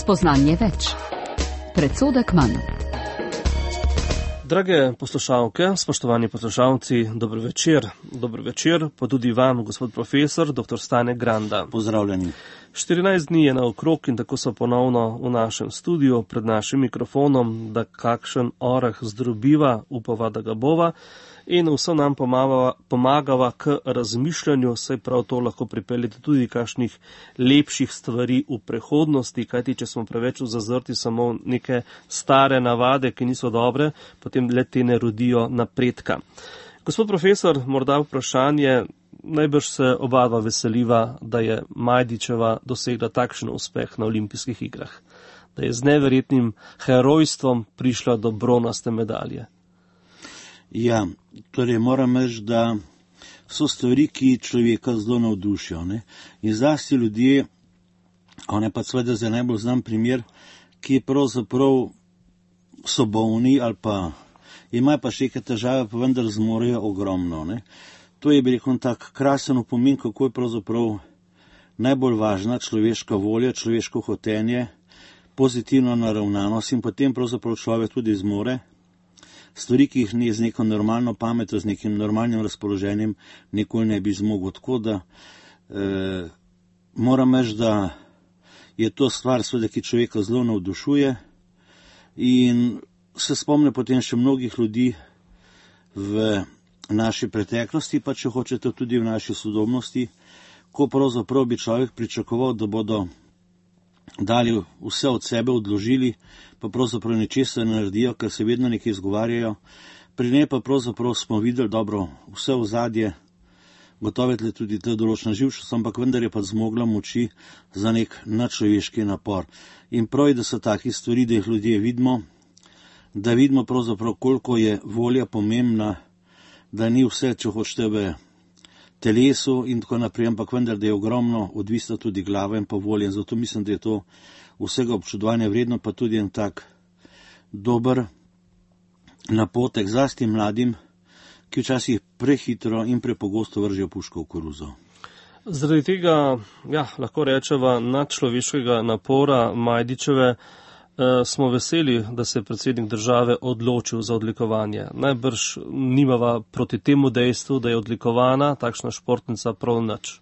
Spoznanje več. Predsodek manj. Drage poslušalke, spoštovani poslušalci, dober večer. Dober večer pa tudi vam, gospod profesor, dr. Stane Granda. Pozdravljeni. 14 dni je naokrog in tako so ponovno v našem studiu pred našim mikrofonom, da kakšen oreh zdrobiva, upava, da ga bova, in vse nam pomagava k razmišljanju, saj prav to lahko pripeljete tudi kakšnih lepših stvari v prihodnosti, kajti če smo preveč zazrti samo neke stare navade, ki niso dobre, potem le te ne rodijo napredka. Gospod profesor, morda vprašanje, najbrž se oba dva veseliva, da je Majdičeva dosegla takšen uspeh na olimpijskih igrah, da je z neverjetnim herojstvom prišla do bronaste medalje. Ja, torej moram reči, da so stvari, ki človeka zelo navdušijo, ne? In zlasti ljudje, on je pa seveda za najbolj znan primer, ki pravzaprav so bolni ali pa imajo pa še neke težave, pa vendar zmorejo ogromno, ne? To je bil tak krasen opomin, kako je pravzaprav najbolj važna človeška volja, človeško hotenje, pozitivno naravnanost in potem pravzaprav človek tudi zmore stvari, ki jih ni z neko normalno pametjo, z nekim normalnim razpoloženjem nikoli ne bi zmogel. Tako da moram reči, da je to stvar, seveda, ki človeka zelo navdušuje in se spomne potem še mnogih ljudi v naši preteklosti, pa če hočete tudi v naši sodobnosti, ko pravzaprav bi človek pričakoval, da bodo dali vse od sebe, odložili, pa pravzaprav ničesar ne naredijo, ker se vedno nekaj izgovarjajo. Pri njej pa pravzaprav smo videli dobro vse ozadje, gotovo je tudi ta določena živčnost, ampak vendar je pa zmogla moči za nek nadčloveški napor. In prav je, da so taki stvari, da jih ljudje vidimo, da vidimo pravzaprav, koliko je volja pomembna, da ni vse, če hočete, v telesu in tako naprej, ampak vendar, da je ogromno odvisna tudi glava in pa volja. In zato mislim, da je to vsega občudovanja vredno, pa tudi en tak dober napotek zlasti mladim, ki včasih prehitro in prepogosto vržejo puško v koruzo. Zaradi tega, lahko rečeva, nadčloveškega napora Majdičeve smo veseli, da se je predsednik države odločil za odlikovanje. Najbrž nimava proti temu dejstvu, da je odlikovana takšna športnica prav nič.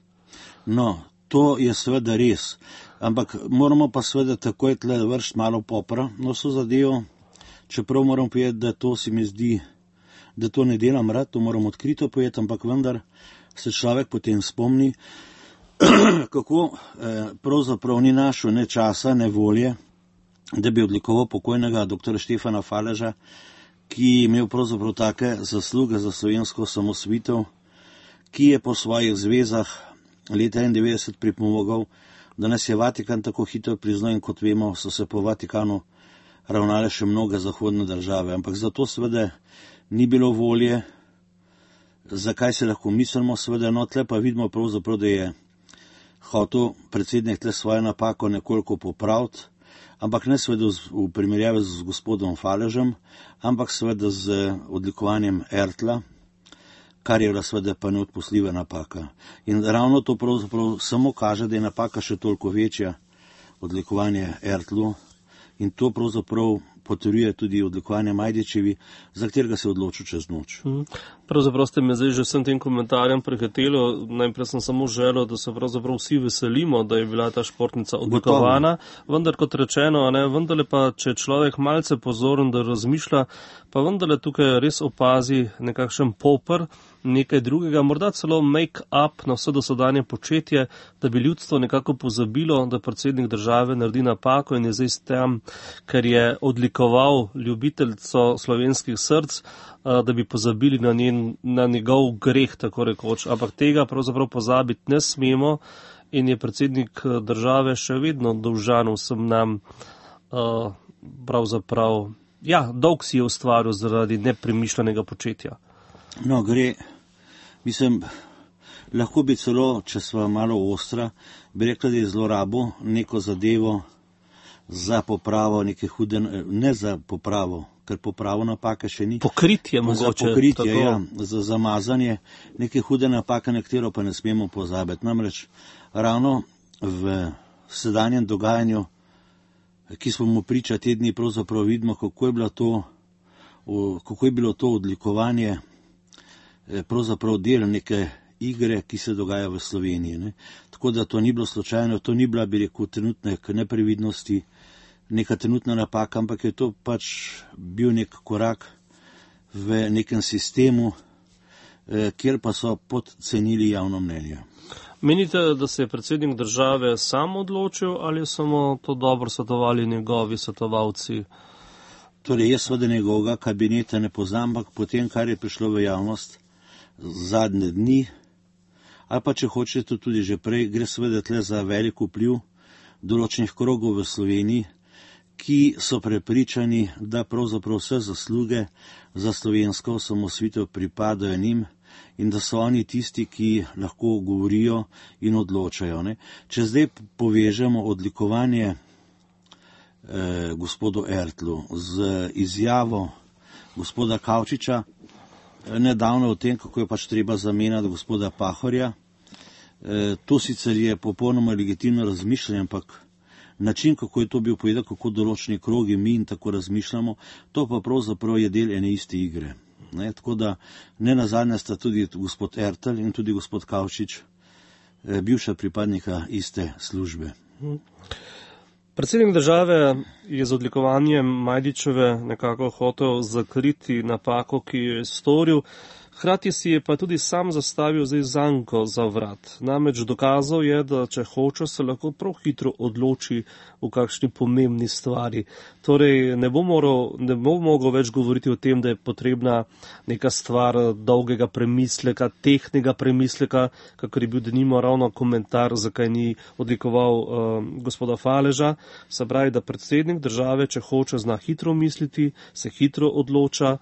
No, to je seveda res, ampak moramo pa seveda takoj tle vršiti malo popra na vso zadevo, čeprav moram povedati, da to se mi zdi, da to ne delam rad, to moram odkrito povedati, ampak vendar se človek potem spomni, kako pravzaprav ni našel ne časa, ne volje, da bi odlikoval pokojnega dr. Štefana Faleža, ki je imel pravzaprav take zasluge za slovensko osamosvojitev, ki je po svojih zvezah leta 1991 pripomogel, da nas je Vatikan tako hitro priznal in kot vemo, so se po Vatikanu ravnale še mnoge zahodne države. Ampak zato seveda ni bilo volje, zakaj se lahko mislimo, seveda, no tle pa vidimo pravzaprav, da je hotel predsednik tle svojo napako nekoliko popraviti, ampak ne seveda v primerjavi z gospodom Faležem, ampak seveda z odlikovanjem Ertla, kar je seveda pa neodpustljiva napaka. In ravno to pravzaprav samo kaže, da je napaka še toliko večja, odlikovanje Ertlu, in to pravzaprav potrjuje tudi odlikovanje Majdičevi, za katerega se je odločil čez noč. Pravzaprav ste me zdaj že vsem tem komentarjem prehitelo. Najprej sem samo želel, da se pravzaprav vsi veselimo, da je bila ta športnica odlikovana. Vendar, kot rečeno, vendarle pa, če človek malce pozoren, da razmišlja, pa vendarle tukaj res opazi nekakšen popr, nekaj drugega, morda celo make-up na vse dosedanje početje, da bi ljudstvo nekako pozabilo, da predsednik države naredi napako in je zdaj tam, ker je odlikoval ljubiteljico slovenskih src, da bi pozabili na njegov greh, tako rekoč. Ampak tega pravzaprav pozabiti ne smemo in je predsednik države še vedno dolžan vsem nam pravzaprav, dolg si je ustvaril zaradi nepremišljenega početja. No, mislim, lahko bi celo, če sva malo ostra, bi rekla, da je zlorabo neko zadevo za popravo neke hude, ne za popravo, ker popravo napake še ni. Pokritje mogoče. Za pokritje, za zamazanje neke hude napake, na katero pa ne smemo pozabiti. Namreč ravno v sedanjem dogajanju ki smo mu priča te dni, pravzaprav vidimo, kako je bilo to odlikovanje pravzaprav del neke igre, ki se dogaja v Sloveniji. Ne. Tako da to ni bilo slučajno, to ni bila, bi rekel, trenutne neprevidnosti, neka trenutna napaka, ampak je to pač bil nek korak v nekem sistemu, kjer pa so podcenili javno mnenje. Menite, da se je predsednik države sam odločil ali samo to dobro svetovali njegovi svetovalci? Torej, jaz seveda njegovega kabineta ne poznam, ampak potem, kar je prišlo v javnost zadnje dni, ali pa če hočete tudi že prej, gre seveda tle za velik vpliv določenih krogov v Sloveniji, ki so prepričani, da pravzaprav vse zasluge za slovensko osamosvojitev pripadajo njim in da so oni tisti, ki lahko govorijo in odločajo. Ne. Če zdaj povežemo odlikovanje gospodu Ertlu z izjavo gospoda Kavčiča nedavno o tem, kako je pač treba zamenjati gospoda Pahorja, to sicer je popolnoma legitimno razmišljanje, ampak način, kako je to bil povedal, kako določeni krogi mi in tako razmišljamo, to pa pravzaprav je del ene iste igre. Ne, tako da ne nazadnje sta tudi gospod Ertel in tudi gospod Kavčič bivša pripadnika iste službe. Predsednik države je z odlikovanjem Majdičeve nekako hotel zakriti napako, ki jo je storil. Hkrati si je pa tudi sam zastavil zdaj zanko za vrat. Namreč dokazal je, da če hoče, se lahko prav hitro odloči v kakšni pomembni stvari. Torej ne bo mogel več govoriti o tem, da je potrebna neka stvar dolgega premisleka, tehnega premisleka, kakor je bil denimo ravno komentar, zakaj ni odlikoval gospoda Faleža. Se pravi, da predsednik države, če hoče, zna hitro misliti, se hitro odloča,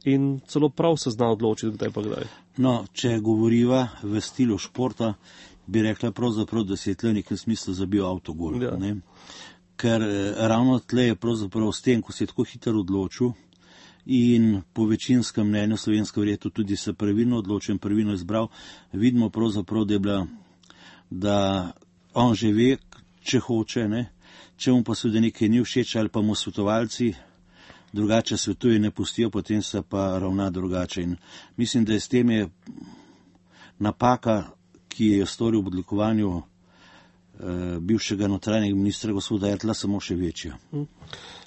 in celo prav se zna odločiti, kdaj pa kdaj. No, če govoriva v stilu športa, bi rekla pravzaprav, da si je tle v nekem smislu zabil avtogol. Ja. Ne? Ker ravno tle je pravzaprav s tem, ko si je tako hitro odločil in po večinskem mnenju slovensko verjetno tudi se pravilno odločil in pravilno izbral, vidimo pravzaprav, da je bila, da on že ve, če hoče, ne? Če mu pa seveda nekaj ni všeč ali pa mu svetovalci drugače svetuje ne pustijo, potem se pa ravna drugače. In mislim, da je s tem je napaka, ki je storil v odlikovanju bivšega notranjega ministra gospoda Ertla, samo še večja.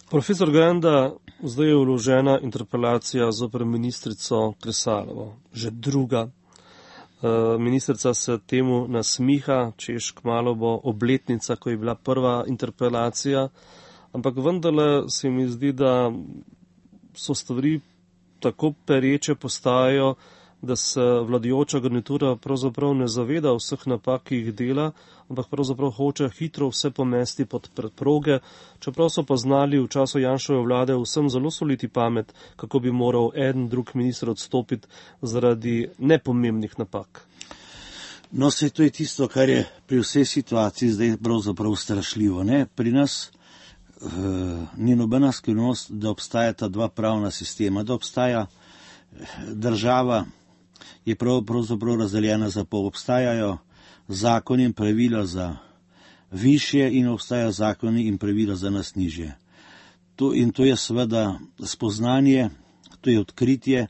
Profesor Granda, zdaj je vložena interpelacija zoper ministrico Kresalovo, že druga. Ministrica se temu nasmiha, češ kmalu bo obletnica, ko je bila prva interpelacija, ampak vendarle se mi zdi, da so stvari tako pereče postajajo, da se vladajoča garnitura pravzaprav ne zaveda vseh napak, ki jih dela, ampak pravzaprav hoče hitro vse pomesti pod preproge, čeprav so pa znali v času Janševe vlade vsem zelo soliti pamet, kako bi moral en drug minister odstopiti zaradi nepomembnih napak. No, se to je tisto, kar je pri vsej situaciji zdaj pravzaprav strašljivo. Ne? Pri nas ni nobena skrivnost, da obstajata dva pravna sistema, da obstaja država, je pravzaprav razdeljena za pol. Obstajajo zakoni in pravila za višje in obstajajo zakoni in pravila za nas nižje. In to je seveda spoznanje, to je odkritje,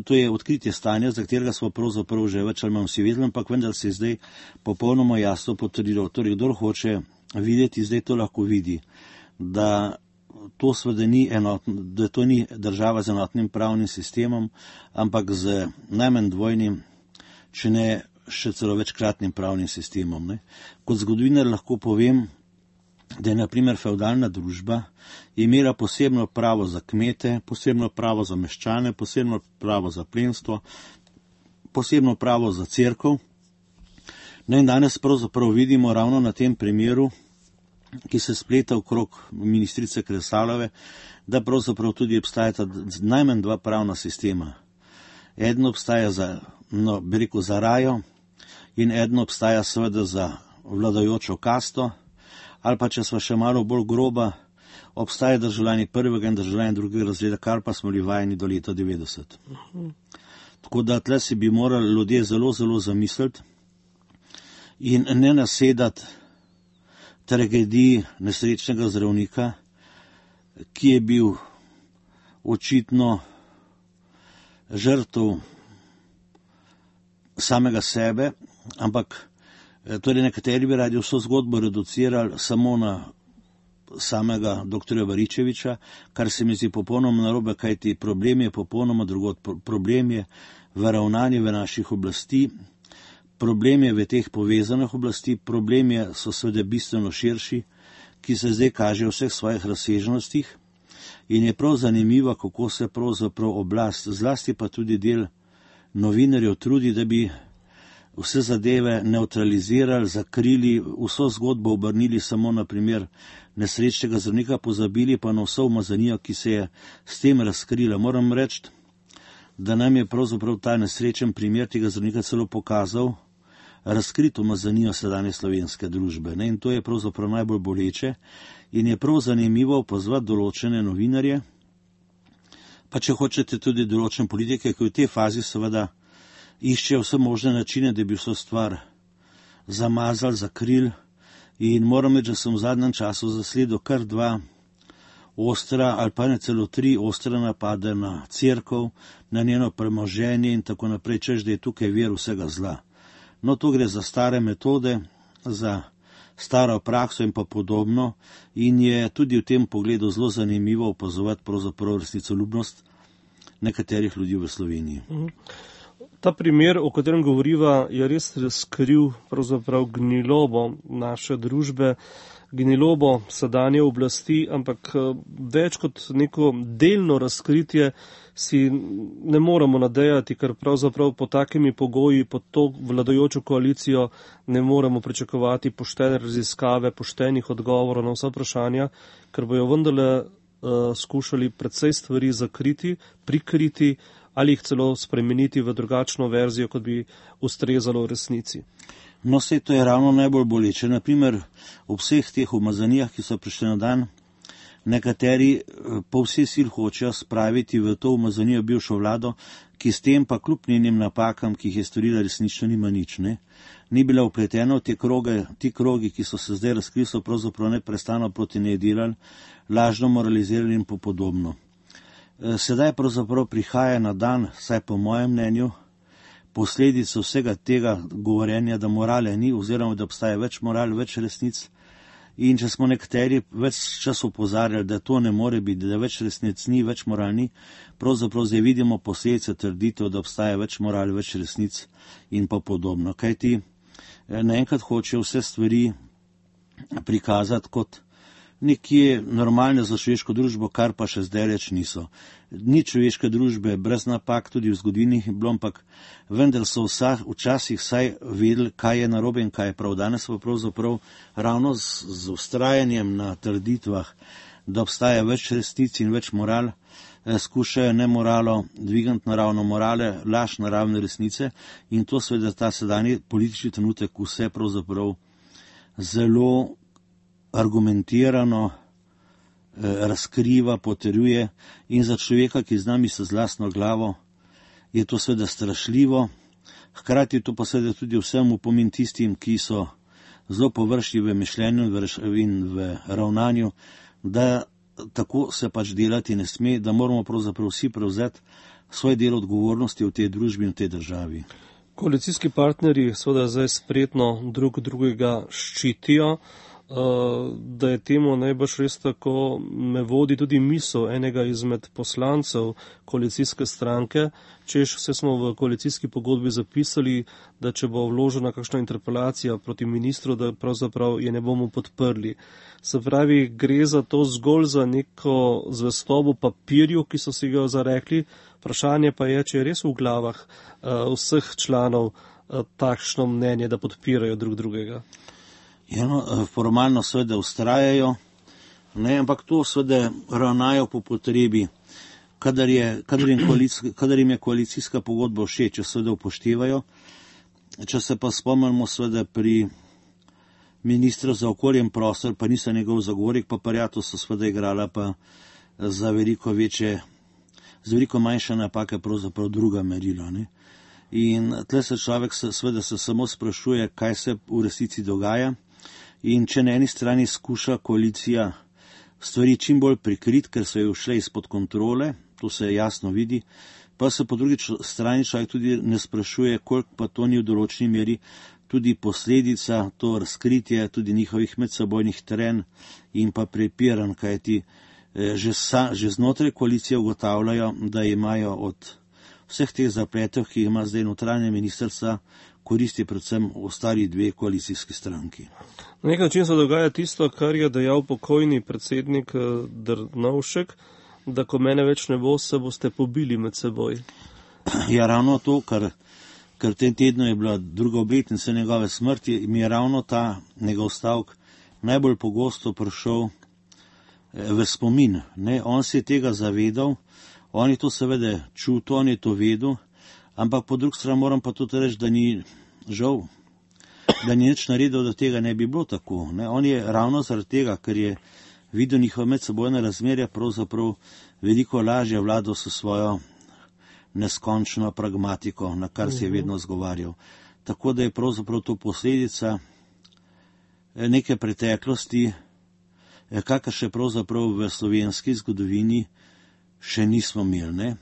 to je odkritje stanja, za katerega smo pravzaprav že več ali manj vsi vedeli, ampak vendar se je zdaj popolnoma jasno potrdilo. Torej, kdor hoče videti, zdaj to lahko vidi, da to seveda ni da to ni država z enotnim pravnim sistemom, ampak z najmanj dvojnim, če ne še celo večkratnim pravnim sistemom. Ne. Kot zgodovinar lahko povem, da je na primer fevdalna družba imela posebno pravo za kmete, posebno pravo za meščane, posebno pravo za plemstvo, posebno pravo za cerkev. No in danes pravzaprav vidimo ravno na tem primeru, ki se spleta okrog ministrice Kresalove, da pravzaprav tudi obstajata najmanj dva pravna sistema. Eden obstaja za rajo in eden obstaja seveda za vladajočo kasto, ali pa če smo še malo bolj groba, obstaja državljani prvega in državljani drugega razreda, kar pa smo bili vajeni do leta 90. Tako da tle si bi morali ljudje zelo, zelo zamisliti in ne nasedati tragediji nesrečnega zdravnika, ki je bil očitno žrtev samega sebe, ampak torej nekateri bi radi vso zgodbo reducirali samo na samega dr. Baričeviča, kar se mi zdi popolnoma narobe, kajti problem je popolnoma drugod. Problem je v ravnanju v naših oblasti, problem je v teh povezanih oblasti, problem so seveda bistveno širši, ki se zdaj kaže v vseh svojih razsežnostih in je prav zanimivo, kako se pravzaprav oblast, zlasti pa tudi del novinarjev trudi, da bi vse zadeve neutralizirali, zakrili, vso zgodbo obrnili samo na primer nesrečnega zdravnika, pozabili pa na vso umazanijo, ki se je s tem razkrila. Moram reči, da nam je pravzaprav ta nesrečen primer tega zdravnika celo pokazal razkrito umazanijo sedanje slovenske družbe. In to je pravzaprav najbolj boleče in je prav zanimivo pozvati določene novinarje, pa če hočete tudi določene politike, ki v tej fazi seveda iščejo vse možne načine, da bi vso stvar zamazali, zakrili. In moram reči, da sem v zadnjem času zasledil kar 2 ostra ali pa ne celo 3 ostre napade na cerkev, na njeno premoženje in tako naprej, češ da je tukaj vir vsega zla. No, tu gre za stare metode, za staro prakso in pa podobno in je tudi v tem pogledu zelo zanimivo opazovati pravzaprav resnicoljubnost nekaterih ljudi v Sloveniji. Ta primer, o katerem govoriva, je res razkril pravzaprav gnilobo naše družbe, gnilobo sedanje oblasti, ampak več kot neko delno razkritje si ne moremo nadejati, ker pravzaprav po takimi pogoji, pod to vladajočo koalicijo ne moremo pričakovati poštene raziskave, poštenih odgovorov na vsa vprašanja, ker bojo vendarle skušali precej stvari zakriti, prikriti ali jih celo spremeniti v drugačno verzijo, kot bi ustrezalo v resnici. No, sej to je ravno najbolj boleče. Naprimer, ob vseh teh umazanijah, ki so prišli na dan, nekateri po vsej sil hočejo spraviti v to umazanijo bivšo vlado, ki s tem pa kljub njenim napakam, ki jih je storila, resnično nima nič. Ni bila vpletena v te kroge, ti krogi, ki so se zdaj razkrili, so pravzaprav neprestano proti njej delali, lažno moralizirali in podobno. Sedaj pravzaprav prihaja na dan, saj po mojem mnenju, posledica vsega tega govorjenja, da morale ni, oziroma da obstaja več moral, več resnic. In če smo nekateri več čas opozarjali, da to ne more biti, da več resnic ni, več moral ni, pravzaprav zdaj vidimo posledice trditev, da obstaja več moral, več resnic in pa podobno. Kajti naenkrat hoče vse stvari prikazati kot nekje normalne za človeško družbo, kar pa še zdaj reč niso. Ni človeške družbe brez napak, tudi v zgodovini je bilo, ampak vendar so včasih vsaj vedeli, kaj je narobe in kaj je prav. Danes pa pravzaprav ravno z ustrajanjem na trditvah, da obstaja več resnic in več moral, skušajo nemoralo dvigati naravno morale, laž naravne resnice in to seveda ta sedanji politični trenutek vse pravzaprav zelo argumentirano razkriva, potrjuje in za človeka, ki z nami se z lastno glavo, je to seveda strašljivo. Hkrati je to pa seveda tudi vsem upomin tistim, ki so zelo površni v mišljenju in v ravnanju, da tako se pač delati ne sme, da moramo pravzaprav vsi prevzeti svoj del odgovornosti v tej družbi in v tej državi. Koalicijski partnerji seveda zdaj spretno drug drugega ščitijo. Da je temu najbrž res tako, me vodi tudi misel enega izmed poslancev koalicijske stranke, češ vse smo v koalicijski pogodbi zapisali, da če bo vložena kakšna interpelacija proti ministru, da pravzaprav je ne bomo podprli. Se pravi, gre za to zgolj za neko zvestobo papirju, ki so si ga zarekli, vprašanje pa je, če je res v glavah vseh članov takšno mnenje, da podpirajo drug drugega. Formalno seveda ustrajajo, ampak to seveda ravnajo po potrebi, kadar jim je koalicijska pogodba všeč, če seveda upoštevajo. Če se pa spomnimo seveda pri ministru za okolje in prostor, pa nisem njegov zagovornik, pa Parjato so seveda igrala pa za veliko manjše napake pravzaprav druga merila. In tle se človek seveda se samo sprašuje, kaj se v resnici dogaja. In če na eni strani skuša koalicija stvari čim bolj prikrit, ker so jo šle izpod kontrole, to se jasno vidi, pa se po drugi strani človek tudi ne sprašuje, koliko pa to ni v določeni meri tudi posledica, to razkritje tudi njihovih medsebojnih trenj in pa prepiranj, kajti že znotraj koalicije ugotavljajo, da imajo od vseh teh zapletov, ki ima zdaj notranje ministrstva, koristi predvsem ostali dve koalicijski stranki. Na nek način se dogaja tisto, kar je dejal pokojni predsednik Drnovšek, da ko mene več ne bo, se boste pobili med seboj. Ja, ravno to, ker v tem tednu je bila druga obletnica njegove smrti, mi je ravno ta njegov stavek najbolj pogosto prišel v spomin. Ne? On se je tega zavedal, on je to seveda čutil, on je to vedel, ampak po drugi strani moram pa tudi reči, da ni žal, da ni nič naredil, da tega ne bi bilo tako. Ne? On je ravno zaradi tega, ker je videl njihove medsebojne razmerja, pravzaprav veliko lažje vladal s svojo neskončno pragmatiko, na kar se je vedno zgovarjal. Tako da je pravzaprav to posledica neke preteklosti, kakor še pravzaprav v slovenski zgodovini še nismo imeli. Ne?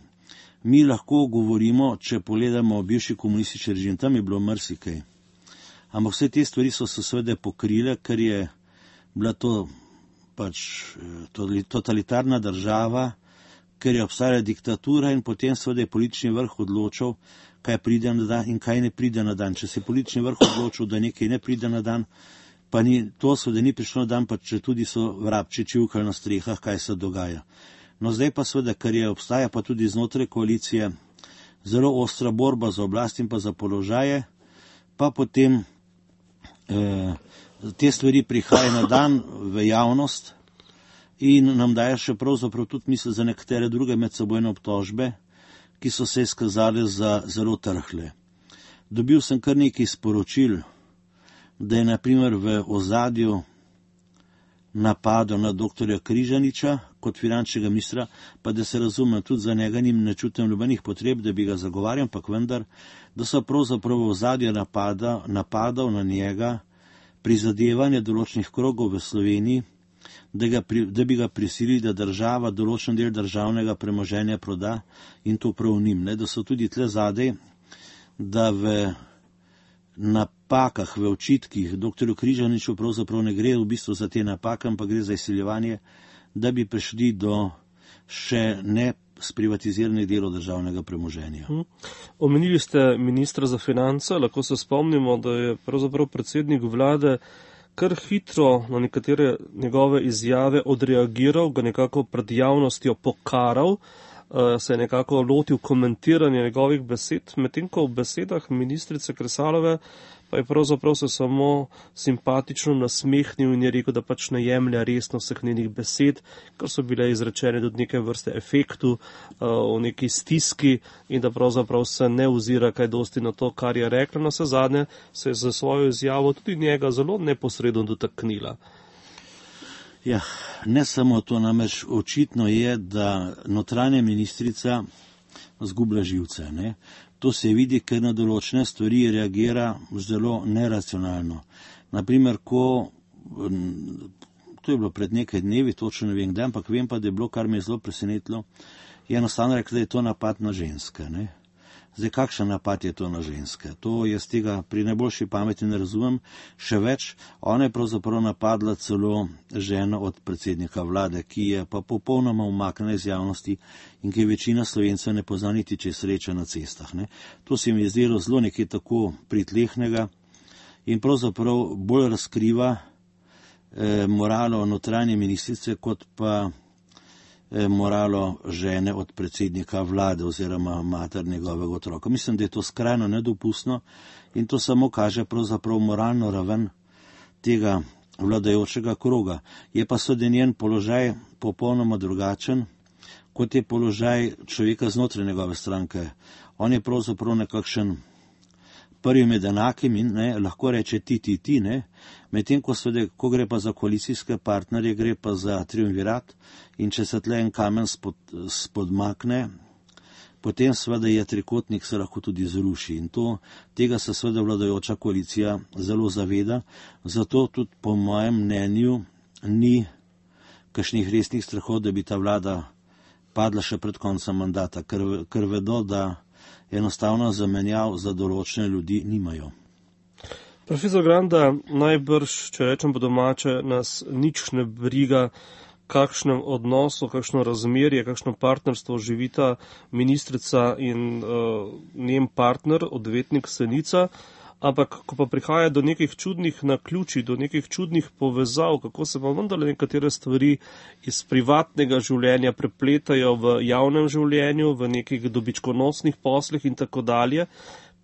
Mi lahko govorimo, če pogledamo bivši komunistični režim, tam je bilo marsikaj. Ampak vse te stvari so se seveda pokrile, ker je bila to pač totalitarna država, ker je obstajala diktatura in potem seveda je politični vrh odločil, kaj pride na dan in kaj ne pride na dan. Če se je politični vrh odločil, da nekaj ne pride na dan, pa to seveda ni prišlo na dan, pa če tudi so vrabči čivkali na strehah, kaj se dogaja. No zdaj pa seveda, ker je obstaja pa tudi znotraj koalicije zelo ostra borba za oblast in pa za položaje, pa potem te stvari prihajajo na dan v javnost in nam daje še pravzaprav tudi misel za nekatere druge medsebojne obtožbe, ki so se izkazali za zelo trhle. Dobil sem kar nekaj sporočil, da je na primer v ozadju napadal na doktorja Križaniča kot finančnega ministra, pa da se razumem, tudi za njega ne čutim nobenih potreb, da bi ga zagovarjal, ampak vendar, da so pravzaprav v ozadju napadal na njega prizadevanje določenih krogov v Sloveniji, da bi ga prisilili, da država določen del državnega premoženja proda in to prav njim. Da so tudi tle zadej, da v napakah, v očitkih doktorju Križaniču pravzaprav ne gre v bistvu za te napake, ampak gre za izsiljevanje, da bi prišli do še ne sprivatiziranih delov državnega premoženja. Omenili ste ministra za finance, lahko se spomnimo, da je pravzaprav predsednik vlade kar hitro na nekatere njegove izjave odreagiral, ga nekako pred javnostjo pokaral, se je nekako lotil komentiranja njegovih besed, medtem ko v besedah ministrice Kresalove pa je pravzaprav se samo simpatično nasmehnil in je rekel, da pač ne jemlja resno vseh njenih besed, ker so bile izrečene tudi neke vrste efektu, o neki stiski in da pravzaprav se ne ozira kaj dosti na to, kar je rekla. Na vse zadnje se je za svojo izjavo tudi njega zelo neposredno dotaknila. Ja, ne samo to, namreč očitno je, da notranja ministrica zgublja živce. Ne? To se vidi, ker na določene stvari reagira zelo neracionalno. Naprimer, to je bilo pred nekaj dnevi, točno ne vem kdaj, ampak vem pa, da je bilo, kar me je zelo presenetilo, je enostavno rekla, da je to napad na ženske. Ne? Zdaj, kakšen napad je to na ženske? To jaz tega pri najboljši pameti ne razumem. Še več, ona je pravzaprav napadla celo ženo od predsednika vlade, ki je pa popolnoma umaknjena iz javnosti in ki večina Slovencev ne pozna niti, če je sreča na cestah. Ne? To se mi je zdelo zelo nekaj tako pritlehnega in pravzaprav bolj razkriva moralo notranje ministrice, kot pa moralo žene od predsednika vlade oziroma mater njegovega otroka. Mislim, da je to skrajno nedopustno in to samo kaže pravzaprav moralno raven tega vladajočega kroga. Je pa seveda njen položaj popolnoma drugačen, kot je položaj človeka znotraj njegove stranke. On je pravzaprav nekakšen prvi med enakimi, lahko reče ti, medtem ko gre pa za koalicijske partnerje, gre pa za triumvirat in če se tle en kamen spodmakne, potem seveda je trikotnik se lahko tudi zruši. In tega se seveda vladajoča koalicija zelo zaveda, zato tudi po mojem mnenju ni kakšnih resnih strahov, da bi ta vlada padla še pred koncem mandata, ker vedo, da enostavno zamenjav za določene ljudi nimajo. Profesor Granda, najbrž, če rečem po domače, nas nič ne briga, kakšnem odnosu, kakšno razmerje, kakšno partnerstvo živita ministrica in njen partner, odvetnik Senica, ampak ko pa prihaja do nekih čudnih naključij, do nekih čudnih povezav, kako se pa vendarle nekatere stvari iz privatnega življenja prepletajo v javnem življenju, v nekih dobičkonosnih poslih in tako dalje,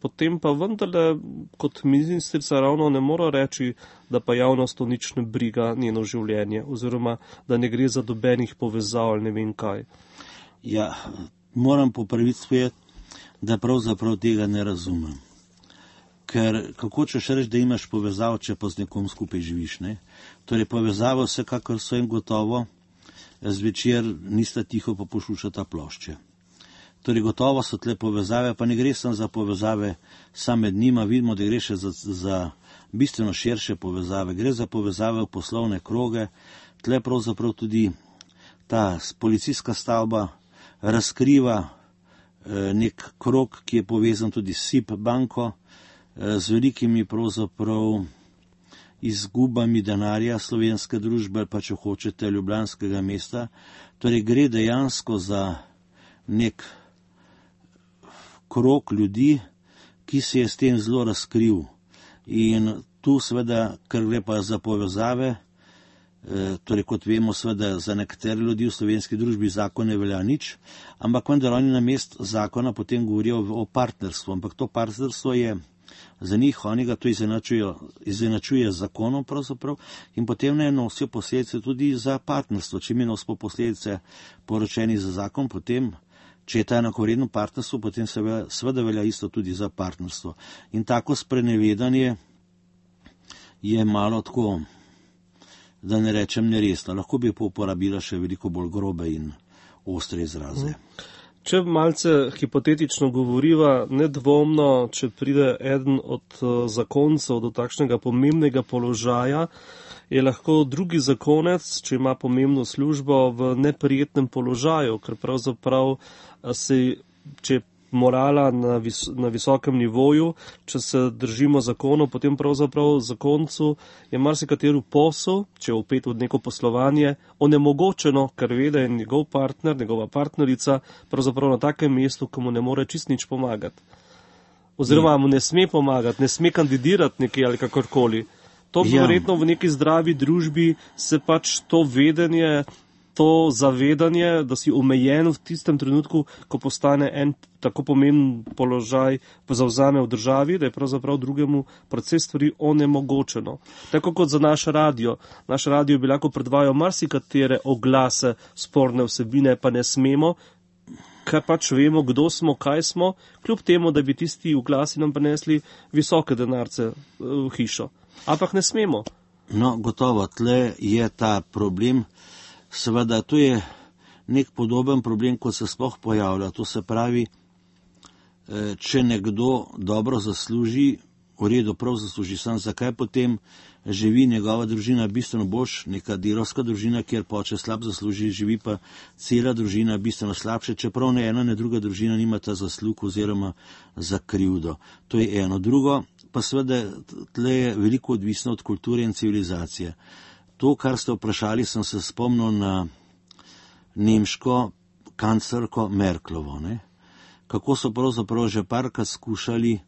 potem pa vendarle kot ministrica ravno ne mora reči, da pa javnost to nič ne briga njeno življenje, oziroma da ne gre za dobenih povezav ali ne vem kaj. Ja, moram popraviti spet, da pravzaprav tega ne razumem. Ker kako češ reči, da imaš povezavo, če pa z nekom skupaj živiš, ne? Torej povezavo vsekakor so in gotovo zvečer nista tiho pa poslušata plošče. Torej gotovo so tle povezave, pa ne gre samo za povezave sam med njima, vidimo, da gre še za bistveno širše povezave. Gre za povezave v poslovne kroge, tle pravzaprav tudi ta policijska stavba razkriva nek krog, ki je povezan tudi s SIP banko, z velikimi pravzaprav izgubami denarja slovenske družbe, pa če hočete ljubljanskega mesta. Torej gre dejansko za nek krog ljudi, ki se je s tem zelo razkril. In tu seveda, ker gre pa za povezave, torej kot vemo, seveda za nekatere ljudi v slovenski družbi zakon ne velja nič, ampak vendar oni na mest zakona potem govorijo o partnerstvu, ampak to partnerstvo je za njih, oni ga to izenačuje z zakonom pravzaprav in potem ne nosijo posledice tudi za partnerstvo. Če mi nosimo posledice poročeni za zakon, potem, če je ta enakovredno partnerstvo, potem seveda velja isto tudi za partnerstvo. In tako sprenevedanje je malo tako, da ne rečem neresno. Lahko bi pa uporabila še veliko bolj grobe in ostre izraze. Če malce hipotetično govoriva, nedvomno, če pride eden od zakoncev do takšnega pomembnega položaja, je lahko drugi zakonec, če ima pomembno službo, v neprijetnem položaju, ker pravzaprav če morala na visokem nivoju, če se držimo zakonov, potem pravzaprav zakoncu je marsikateri posel, če je vpet v neko poslovanje, onemogočeno, ker ve, da je njegov partner, njegova partnerica pravzaprav na takem mestu, ko mu ne more čist nič pomagati. Oziroma mu ne sme pomagati, ne sme kandidirati nekje ali kakorkoli. To verjetno v neki zdravi družbi se pač to vedenje, to zavedanje, da si omejen v tistem trenutku, ko postane en tako pomemben položaj zavzame v državi, da je pravzaprav drugemu precej stvari onemogočeno. Tako kot za naš radio. Naš radio bi lahko predvajal marsikatere oglase, sporne vsebine, pa ne smemo, ker pač vemo, kdo smo, kaj smo, kljub temu, da bi tisti oglasi nam prinesli visoke denarce v hišo. Ampak ne smemo. No, gotovo, tle je ta problem. Seveda, to je nek podoben problem, kot se sploh pojavlja. To se pravi, če nekdo dobro zasluži, v redu prav zasluži, sam zakaj potem živi njegova družina bistveno boljš, neka delovska družina, kjer poče slab zasluži, živi pa cela družina bistveno slabše, čeprav ne ena, ne druga družina nima ta zaslug oziroma za krivdo. To je eno. Drugo, pa seveda tle je veliko odvisno od kulture in civilizacije. To, kar ste vprašali, sem se spomnil na nemško kanclerko Merklovo, ne? Kako so pravzaprav že parkrat skušali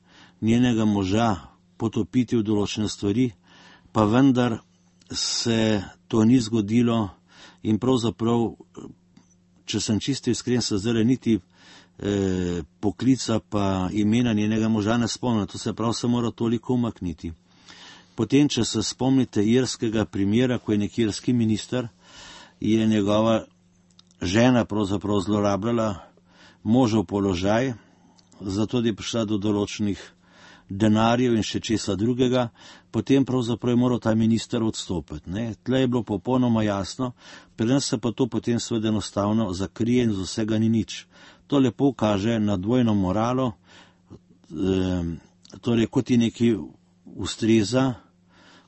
njenega moža potopiti v določene stvari, pa vendar se to ni zgodilo in pravzaprav, če sem čisto iskren, se zdaj niti poklica pa imena njenega moža ne spomnim, to se prav se mora toliko umakniti. Potem, če se spomnite irskega primera, ko je nek irski minister, je njegova žena pravzaprav zlorabljala možev položaj, zato da je prišla do določenih denarjev in še česa drugega, potem pravzaprav je moral ta minister odstopiti. Ne? Tle je bilo popolnoma jasno, pri nas se pa to potem seveda enostavno zakrije in z vsega ni nič. To lepo kaže na dvojno moralo, torej, ko ti nekaj ustreza,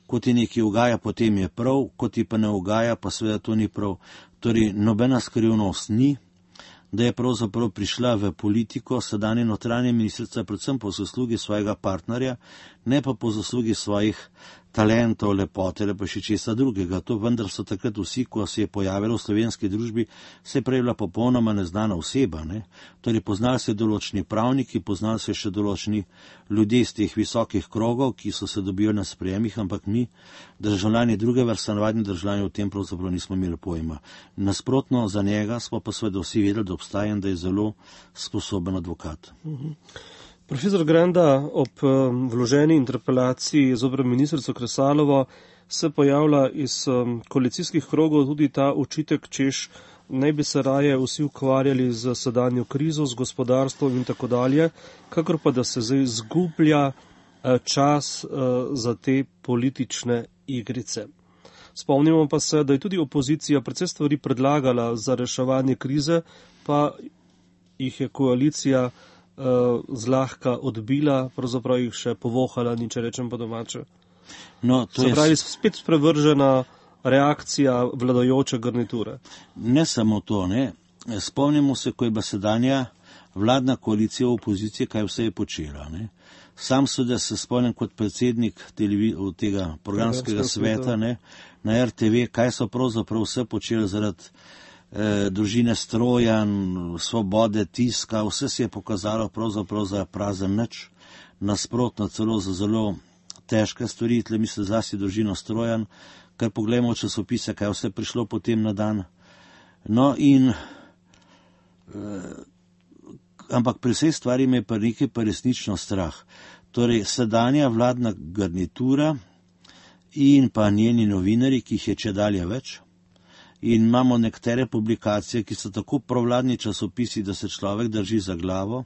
ko ti nekaj ugaja, potem je prav, ko ti pa ne ugaja, pa seveda to ni prav. Torej, nobena skrivnost ni, da je pravzaprav prišla v politiko sedanja notranja ministrica predvsem po zaslugi svojega partnerja, ne pa po zaslugi svojih talentov, lepote, ali pa še česa drugega. To vendar so takrat vsi, ko se je pojavilo v slovenski družbi, se je prej bila popolnoma neznana oseba. Ne? Torej, poznali se določeni pravniki, poznali se še določeni ljudje iz teh visokih krogov, ki so se dobili na sprejemih, ampak mi, državljani druge vrste, navadni državljani, o tem pravzaprav nismo imeli pojma. Nasprotno za njega smo pa seveda vsi vedeli, da obstaja in da je zelo sposoben advokat. Profesor Granda, ob vloženi interpelaciji zoper ministrico Kresalovo se pojavlja iz koalicijskih krogov tudi ta očitek, češ naj bi se raje vsi ukvarjali z sedanjo krizo, z gospodarstvom in tako dalje, kakor pa da se zdaj zgublja čas za te politične igrice. Spomnimo pa se, da je tudi opozicija precej stvari predlagala za reševanje krize, pa jih je koalicija zlahka odbila, pravzaprav jih še povohala, ni če rečem po domače. No, se pravi, spet sprevržena reakcija vladajoče garniture. Ne samo to, ne. Spomnimo se, ko je bila sedanja vladna koalicija v opoziciji, kaj vse je počela. Ne. Sam seveda se spomnim kot predsednik tega programskega sveta, ne, na RTV, kaj so pravzaprav vse počeli zaradi družine Strojan, svobode tiska, vse se je pokazalo pravzaprav za prazen nič, nasprotno celo za zelo težke stvari, tle mislim zlasti družino Strojan, ker pogledamo v časopise, kaj vse prišlo potem na dan. No in ampak pri vsej stvari me je pa nekaj pa resnično strah. Torej, sedanja vladna garnitura in pa njeni novinari, ki jih je čedalje več, in imamo nekatere publikacije, ki so tako provladni časopisi, da se človek drži za glavo.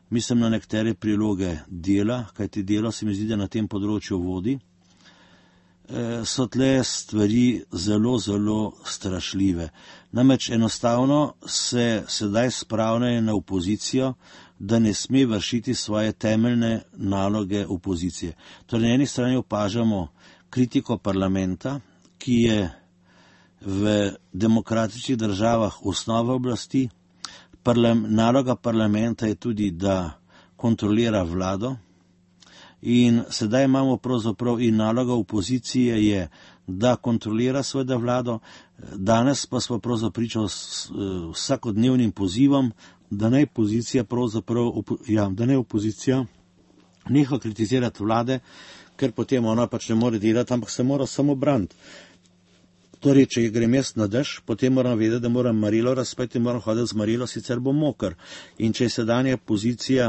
Mislim na nekatere priloge Dela, kajti Delo se mi zdi, da na tem področju vodi. So tle stvari zelo, zelo strašljive. Namreč enostavno se sedaj spravljajo na opozicijo, da ne sme vršiti svoje temeljne naloge opozicije. Torej, na eni strani opažamo kritiko parlamenta, ki je v demokratičnih državah osnova oblasti. Naloga parlamenta je tudi, da kontrolira vlado in sedaj imamo pravzaprav in naloga opozicije je, da kontrolira seveda vlado. Danes pa smo pravzaprav pričali vsakodnevnim pozivom, da naj opozicija neha kritizirati vlade, ker potem ona pač ne more delati, ampak se mora samo braniti. Torej, če grem jaz na dež, potem moram vedeti, da moram marilo razpeti in moram hoditi z marilo, sicer bom moker. In če je sedanja pozicija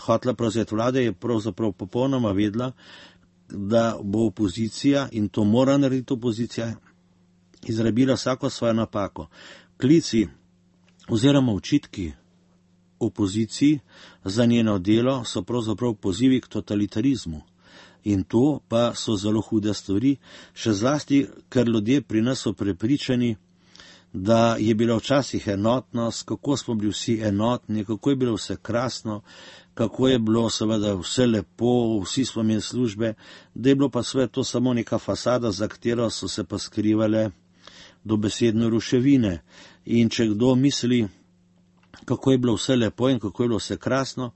hotela prevzeti vlade, je pravzaprav popolnoma vedela, da bo opozicija, in to mora narediti opozicija, izrabila vsako svojo napako. Klici oziroma očitki opoziciji za njeno delo so pravzaprav pozivi k totalitarizmu. In to pa so zelo hude stvari, še zlasti, ker ljudje pri nas so prepričani, da je bila včasih enotnost, kako smo bili vsi enotni, kako je bilo vse krasno, kako je bilo seveda vse lepo, vsi smo imeli službe, da je bilo pa sve to samo neka fasada, za katero so se pa skrivale dobesedno ruševine. In če kdo misli, kako je bilo vse lepo in kako je bilo vse krasno,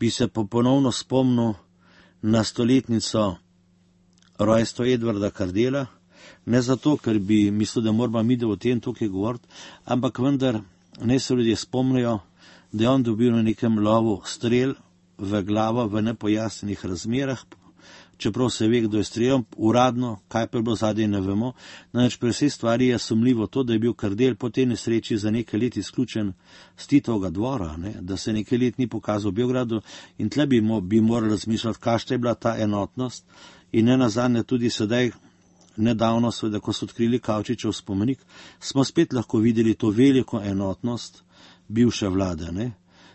bi se pa ponovno spomnil na stoletnico rojstva Edvarda Kardela, ne zato, ker bi mislil, da moramo mi o tem tukaj govoriti, ampak vendar ne se ljudje spomnijo, da je on dobil na nekem lovu strel v glavo v nepojasnenih razmerah, čeprav se ve, kdo je streljal, uradno, kaj pa je bilo zadaj, ne vemo. Namreč pri vsej stvari je sumljivo to, da je bil Kardel po tej nesreči za nekaj let izključen z Titovega dvora, ne? Da se nekaj let ni pokazal v Beogradu in tle bi morali razmišljati, kakšna je bila ta enotnost in ne nazadnje tudi sedaj, nedavno, seveda, ko so odkrili Kavčičev spomenik, smo spet lahko videli to veliko enotnost bivše vlade, ne?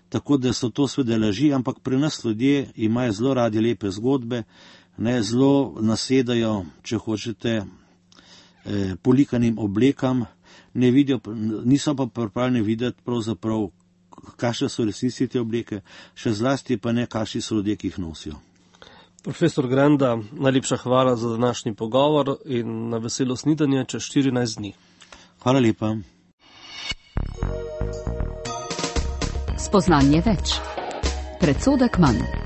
Tako da so to seveda laži, ampak pri nas ljudje imajo zelo radi lepe zgodbe, ne, zelo nasedajo, če hočete, polikanim oblekam, ne vidijo, niso pa pripravljeni videti pravzaprav kakšne so resnici te obleke, še zlasti pa ne, kakšni so ljudje, ki jih nosijo. Profesor Granda, najlepša hvala za današnji pogovor in na veselo snidenje čez 14 dni. Hvala lepa. Spoznanje več. Predsodek manj.